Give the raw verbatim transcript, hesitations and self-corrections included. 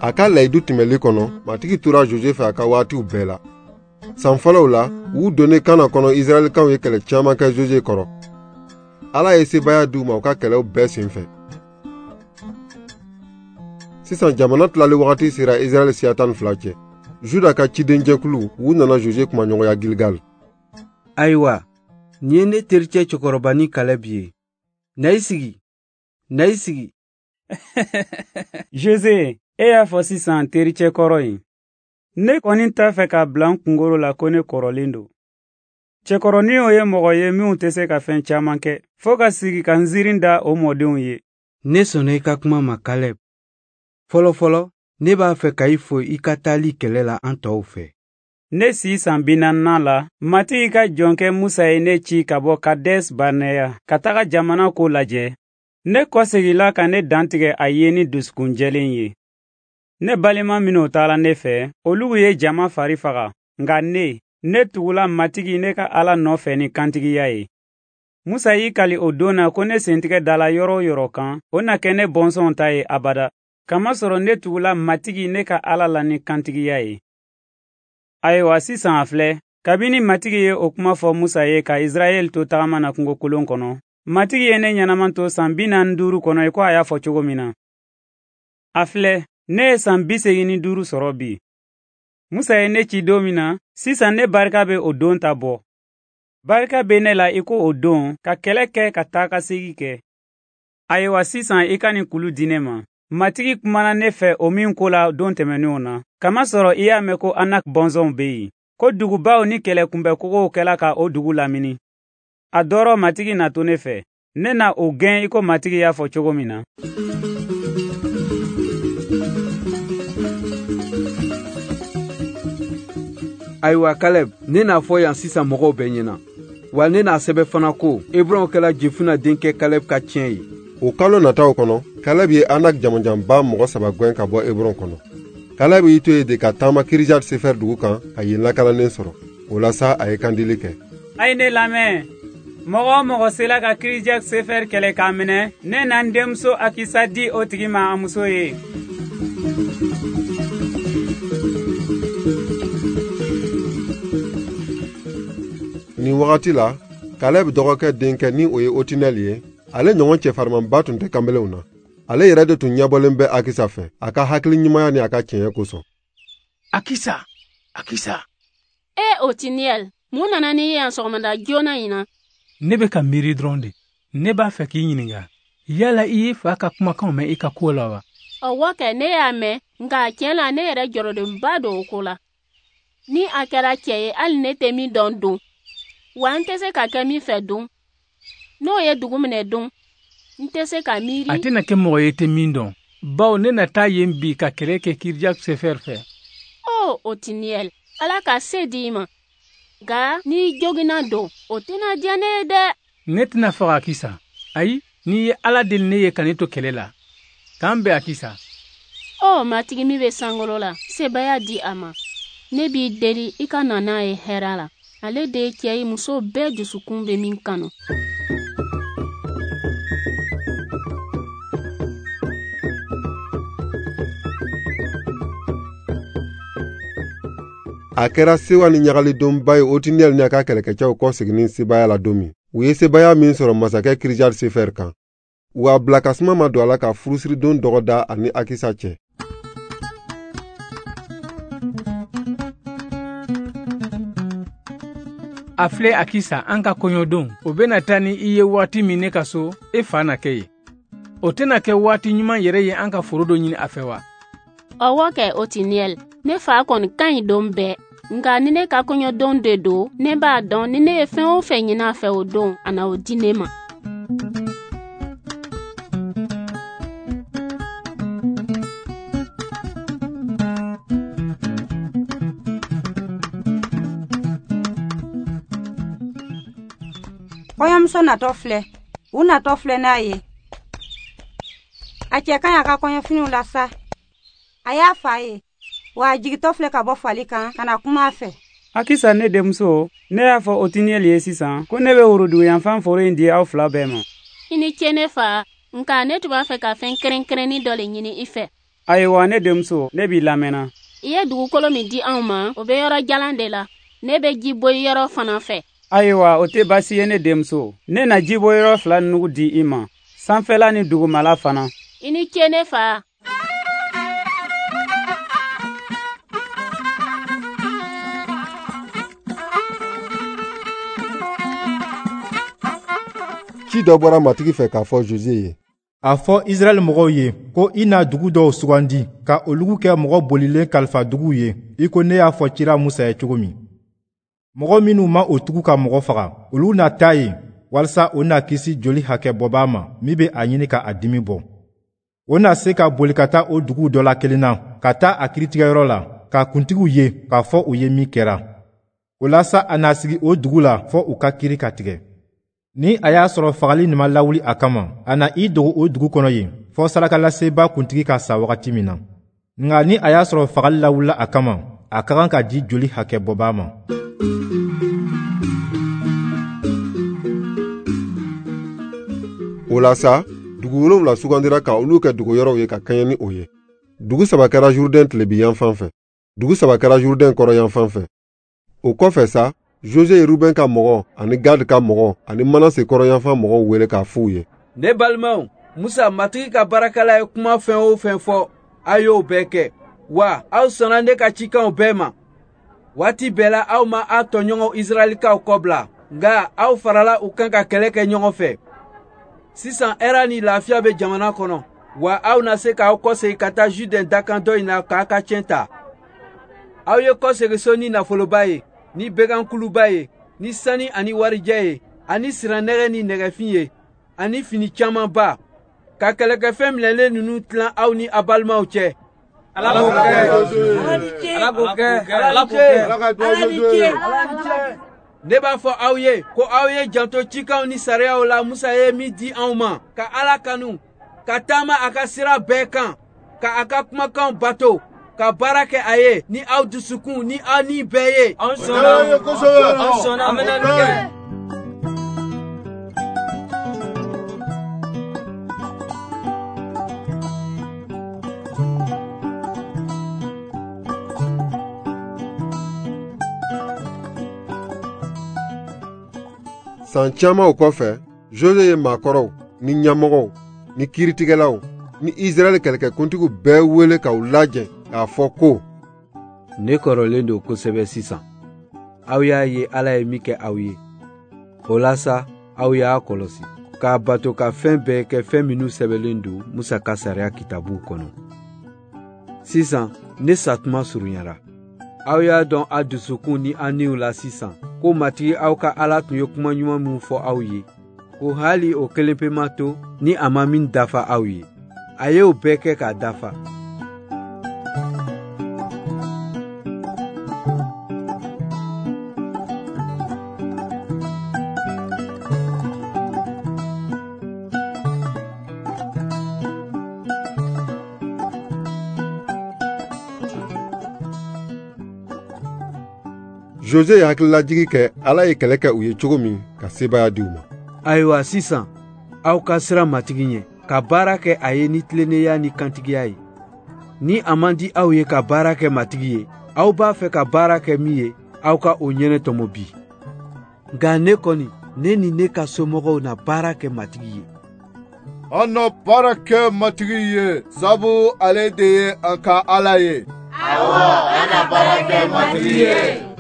A ka layidu tɛmɛli kɔnɔ, Matigi tora Joze fɛ a ka waatiw bɛɛ la. San fɔlɔw la, u donnen Kana kɔnɔ, Israɛlikaw ye kɛlɛ caman kɛ Joze kɔrɔ. Ala ye sebaaya d'u ma u ka kɛlɛw bɛɛ senfɛ. Sisan jamana tilali wagati sera Israɛl siya tan ni fila cɛ. Juda ka cidenjɛkulu, u nana Joze kumaɲɔgɔnya Gilgal. Ayiwa, nin ye ne tericɛ cɛkɔrɔba ni Kalɛb ye. Na i sigi, na i sigi. Joze, e y'a fɔ sisan tericɛ kɔrɔ ye. Ne kɔni t'a fɛ k'a bila n kunkolo la ko ne kɔrɔlen don. Cɛkɔrɔninw ye mɔgɔ ye minnu tɛ se ka fɛn caman kɛ, fo ka sigi ka nzirin da o mɔdenw ye. Ne sɔnna i ka kuma ma, Kalɛb. Fɔlɔ fɔlɔ, ne b'a fɛ ka i fo i ka taali kɛlɛ la an tɔw fɛ. Ne si san bi naaninan la, Matigi ka jɔnkɛ Musa ye ne ci ka bɔ Kades Barneya ka taga jamana ko lajɛ. Ne kɔseginna ka ne dantigɛ a ye ni dusukun jɛlen ye. Ne balima minnu taara ne fɛ, olu ye jama fari faga, nka ne, ne tugula Matigi ne ka Ala nɔfɛ ni kantigiya ye. Musa y'i kali o don na ko ne sentigɛ dala yɔrɔ o yɔrɔ kan, o na kɛ ne bɔnsɔnw ta ye abada. Kamasɔrɔ ne tugula Matigi ne ka Ala la ni kantigiya ye. Ayiwa sisan a filɛ, kabini Matigi ye o kuma fɔ Musa ye ka Israɛl to tagama na kungokolon kɔnɔ, Matigi ye ne ɲɛnama to san bi naani duuru kɔnɔ i ko a y'a fɔ cogo min na. A filɛ, ne ye san bi segin ni duuru sɔrɔ bi. Musa ye ne ci don min na, sisan ne barika bɛ o don ta bɔ. Barika bɛ ne la i ko o don ka kɛlɛ kɛ ka taa ka segin kɛ. Ayiwa sisan i ka nin kulu di ne ma. Matigi kumana ne fɛ o min ko la don tɛmɛnenw na, kamasɔrɔ i y'a mɛn ko Anak bɔnsɔnw bɛ yen, ko dugubaw ni kɛlɛkunbɛkogow kɛla ka o dugu lamini. A dɔrɔ Matigi na to ne fɛ, ne na o gɛn i ko Matigi y'a fɔ cogo min na. Ayiwa Kalɛb, ne n'a fɔ yan sisan mɔgɔw bɛɛ ɲɛna. Wa ne n'a sɛbɛn fana ko Ebron kɛla Jefuna denkɛ Kalɛb ka tiɲɛ ye. O kalo nataw kɔnɔ, Kalɛb ye Anak jamanjanba mɔgɔ saba gɛn ka bɔ Ebron kɔnɔ. Kalɛb y'i to yen de ka taama Kirijat Sefer dugu kan ka yen lakalanen sɔrɔ. O la sa, a ye kandili kɛ. A ye ne lamɛn. Mɔgɔ o mɔgɔ sela ka Kirijat Sefer kɛlɛ k'a minɛ, ne na n denmuso Akisa di o tigi ma a muso ye. Nin wagati la, Kalɛb dɔgɔkɛ denkɛ ni o ye Otinɛl ye, ale ɲɔgɔn cɛfarimanba tun tɛ kanbelenw na. Ale yɛrɛ de tun ɲɛbɔlen bɛ Akisa fɛ, a ka hakili ɲumanya ni a ka tiɲɛ kosɔn. Akisa, Akisa. E Otinɛl, mun nana n'i ye yan sɔgɔmada joona in na? Ne bɛ ka miiri dɔrɔn de. Ne b'a fɛ k'i ɲininka. Yala i ye fa ka kumakanw mɛn i ka ko la wa? Ɔwɔ kɛ, ne y'a mɛn, nka tiɲɛ la ne yɛrɛ jɔrɔlenba don o ko la. Ni a kɛra cɛ ye, hali ne tɛ min dɔn don. Wa n tɛ se ka kɛ min fɛ don. N'o ye dugu minɛ don, n tɛ se ka miiri. A tɛna kɛ mɔgɔ ye tɛ min dɔn, bawo ne na taa yen bi ka kɛlɛ kɛ Kirijat Sefer fɛ. O Otiniyɛl, Ala ka se di i ma. Nka n'i joginna don, o tɛna diya ne ye dɛ. Ne tɛna faga Akisa. Ayi, n'i ye Ala deli ne ye ka ne to kɛlɛ la. K'an bɛn Akisa. Ɔ Matigi min bɛ sankolo la, sebaaya di a ma. Ne b'i deli i ka na n'a ye hɛrɛ la. Ale de ye cɛ ye muso bɛɛ dusukun bɛ min kanu. A kɛra sewa ni ɲagalidonba ye Otiniyɛl ni a ka kɛlɛkɛcɛw kɔ seginni sebaaya la don min. U ye sebaaya min sɔrɔ masakɛ Kirijat Sefer kan. U a bila ka suma ma don a la ka furusiridon dɔgɔda ani Akisa cɛ. A filɛ Akisa, an ka kɔɲɔdon, o bɛna taa ni i ye waati min ne ka so, e fa na kɛ yen. O tɛna kɛ waati ɲuman yɛrɛ ye an ka foro dɔ ɲini a fɛ wa? Ɔwɔ kɛ Otiniyɛl, ne fa kɔni ka ɲi don bɛɛ. Nka ni ne ka kɔɲɔdon de don, ne b'a dɔn ni ne ye fɛn o fɛn ɲini a fɛ o don, a na o di ne ma. Kɔɲɔmuso natɔ filɛ, u natɔ filɛ n'a ye. A cɛ ka ɲi a ka kɔɲɔfiniw la sa. A y'a fa ye. Wa a jigitɔ filɛ ka bɔ fali kan ka na kuma a fɛ. Akisa ne denmuso, ne y'a fɔ Otiniyɛli ye sisan ko ne bɛ woroduguyanfan foro in di aw fila bɛɛ ma. I ni ce ne fa, nka ne tun b'a fɛ ka fɛn kɛrɛnkɛrɛnnin dɔ le ɲini i fɛ. Ayiwa ne denmuso, ne b'i lamɛnna. I ye dugukolo min di anw ma, o bɛ yɔrɔ jalan de la. Ne bɛ ji boyi yɔrɔ fana fɛ. Ayiwa o tɛ baasi ye ne denmuso. Ne na ji boyi yɔrɔ fila nugu di i ma, sanfɛla ni dugumala fana. I ni ce ne fa. Ci dɔ bɔra Matigi fɛ k'a fɔ Joze ye. A fɔ Israɛl mɔgɔw ye ko i na dugu dɔw sugandi ka olugu kɛ mɔgɔ bolilen kalifa duguw ye, i ko ne y'a fɔ cira Musa ye cogo min. Mɔgɔ minnu ma o tugu ka mɔgɔ faga, olu na taa yen walisa o na kisi joli hakɛ bɔbaa ma min bɛ a ɲini ka a dimi bɔ. O na se ka boli ka taa o duguw dɔ la kelen na, ka taa a kiritigɛyɔrɔ la, ka kuntigiw ye k'a fɔ u ye min kɛra. O la sa a na sigi o dugu la fɔ u ka kiri ka tigɛ. Ni a y'a sɔrɔ fagali nin ma lawuli a kama, a na i dogo o dugu kɔnɔ yen fɔ sarakalasebaa kuntigi ka sa wagati min na. Nka ni a y'a sɔrɔ fagali lawulila a kama, a ka kan ka di joli hakɛ bɔbaa ma. O la sa, dugu wolonwula sugandira ka olu kɛ dogoyɔrɔw ye ka kɛɲɛ ni o ye. Dugu saba kɛra Jourdain tilebin yanfan fɛ, dugu saba kɛra Jourdain kɔrɔ yanfan fɛ. O kɔfɛ sa, Jose ye Ruben ka mɔgɔ ani Gad ka mɔgɔ ani Manase kɔrɔyanfan mɔgɔw wele k'a f'u ye. Ne balimaw, Musa Matigi ka baarakɛla ye kuma fɛn o fɛn fɔ, a y'o bɛɛ kɛ. Wa aw sɔnna ne ka cikanw bɛɛ ma. Waati bɛɛ la aw ma aw tɔɲɔgɔnw Israɛlikaw kɔbila, nka aw farala u kan ka kɛlɛ kɛ ɲɔgɔn fɛ. Sisan hɛrɛ ni lafiya bɛ jamana kɔnɔ, wa aw na se k'aw kɔsegin ka taa Jourdain dakan dɔ in na k'a ka cɛn ta. Aw ye kɔsegin so ni nafoloba ye, ni bɛgankuluba ye, ni sani ani warijɛ ye, ani sirannɛgɛ ni nɛgɛfin ye, ani fini camanba, ka kɛlɛkɛfɛn minɛlen ninnu tilan aw ni aw balimaw cɛ. Ala k'o kɛ! Ala k'o kɛ! Ala k'o kɛ! Ala ni ce! Ala ni ce! Ne b'a fɔ aw ye ko aw ye janto cikanw ni sariyaw la Musa ye min di anw ma, ka Ala kanu, ka taama a ka sira bɛɛ kan, ka a ka kumakanw bato, ka baara kɛ a ye ni aw dusukun ni aw ni bɛɛ ye. Anw sɔnna, anw sɔnna, an bɛna nin kɛ. San caman o kɔfɛ, Jose ye maakɔrɔw ni ɲɛmɔgɔw ni kiiritigɛlaw ni Israɛl kɛlɛkɛkuntigiw bɛɛ wele k'u lajɛ k'a fɔ ko: Ne kɔrɔlen don kosɛbɛ sisan. Aw y'a ye Ala ye min kɛ aw ye. O la sa, aw y'a kɔlɔsi k'a bato ka fɛn bɛɛ kɛ fɛn minnu sɛbɛnlen don Musa ka sariya kitabuw kɔnɔ. Sisan, ne satuma surunyara. Aw y'a dɔn aw dusukun ni aw niw la sisan ko Matigi aw ka Ala tun ye kuma ɲuman min fɔ aw ye, ko hali o kelen pe ma to ni a ma min dafa aw ye. A ye o bɛɛ kɛ k'a dafa. Jose ye hakililajigi kɛ Ala ye kɛlɛ kɛ u ye cogo min ka sebaaya di u ma. Ayiwa sisan, aw ka siran Matigi ɲɛ, ka baara kɛ a ye ni tilennenya ni kantigiya ye. Ni a man di aw ye ka baara kɛ Matigi ye, aw b'a fɛ ka baara kɛ min ye, aw ka o ɲɛnɛ tɔmɔ bi. Nka ne kɔni, ne ni ne ka somɔgɔw na baara kɛ Matigi ye. An na baara kɛ Matigi ye, sabu ale de ye an ka Ala ye. Awɔ, an na baara kɛ Matigi ye.